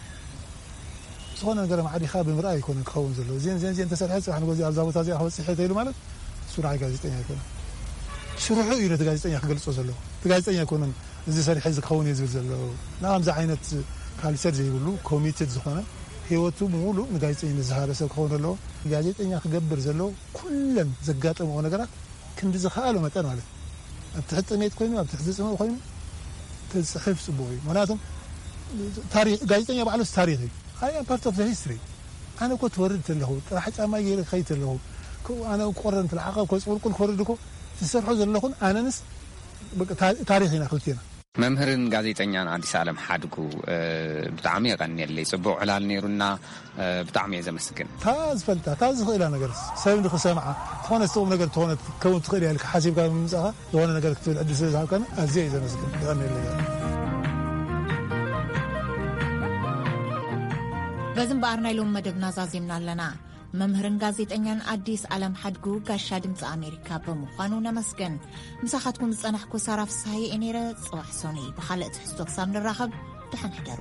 ዝኾነ ነገር ማዕዲኻ ብምርኣይ ኣይኮነን ክኸውን ዘለዎ። እዚን እዚን እዚን ተሰርሐ ፅባሕ ንጎዚ ኣብዛ ቦታ እዚኣ ክበፅሕ እየ ተይሉ ማለት እሱ ንዓይ ጋዜጠኛ ኣይኮነን። ስርሑ እዩ ነቲ ጋዜጠኛ ክገልፆ ዘለዎ። እቲ ጋዜጠኛ ኣይኮነን እዚ ሰሪሐ እዚ ክኸውን እየ ዝብል ዘለዎ። ንኣምዚ ዓይነት ካልቸር ዘይብሉ ኮሚትድ ዝኾነ ህይወቱ ሙሉእ ንጋዜጠኝነት ዝሃበ ሰብ ክኸውን ኣለዎ። ጋዜጠኛ ክገብር ዘለዎ ኩለን ዘጋጠምኦ ነገራት ክንዲ ዝኸኣሎ መጠን ማለት ኣብ ትሕቲ ጥሜት ኮይኑ ኣብ ትሕቲ ፅምእ ኮይኑ ተፅሕፍ ፅቡቅ እዩ። ምክንያቱም ጋዜጠኛ ባዕሉስ ታሪክ እዩ። ኣይ ፓርት ኦፍ ሂስትሪ። ኣነ እኮ ትወርድ ተለኹ ጥራሕ ጫማ ገይረ ክኸይድ ተለኹ ኣነ ቆረን ትለሓቐ ኮ ፅቁልቁል ክወርድ እኮ ዝሰርሖ ዘለኹን ኣነንስ ታሪክ ኢና ክልቴና። መምህርን ጋዜጠኛን ኣዲስ ኣለም ሓድጉ ብጣዕሚ የቐንየለይ። ፅቡቅ ዕላል ነይሩና። ብጣዕሚ እየ ዘመስግን። እታ ዝፈልጣ እታ ዝኽእላ ነገር ሰብ ንክሰምዓ ዝኾነ ዝተቁም ነገር ዝኾነ ክትከውን ትኽእል እያ ኢልካ ሓሲብካ ብምምፃእካ ዝኾነ ነገር ክትብል ዕድል ስለ ዝሃብካኒ ኣዝየ እየ ዘመስግን። የቐንየለይ። በዚ እምበኣር ናይ ሎም መደብና ዛዚምና ኣለና። መምህርን ጋዜጠኛን ኣዲስ ኣለም ሓድጉ ጋሻ ድምፂ ኣሜሪካ ብምዃኑ ነመስገን። ምሳኻትኩም ዝፀናሕኩ ሳራ ፍስሃየ እየ ነይረ። ፅባሕ ሶኒ ብካልእ ትሕዝቶ ክሳብ ንራኸብ ደሓን ሕደሩ።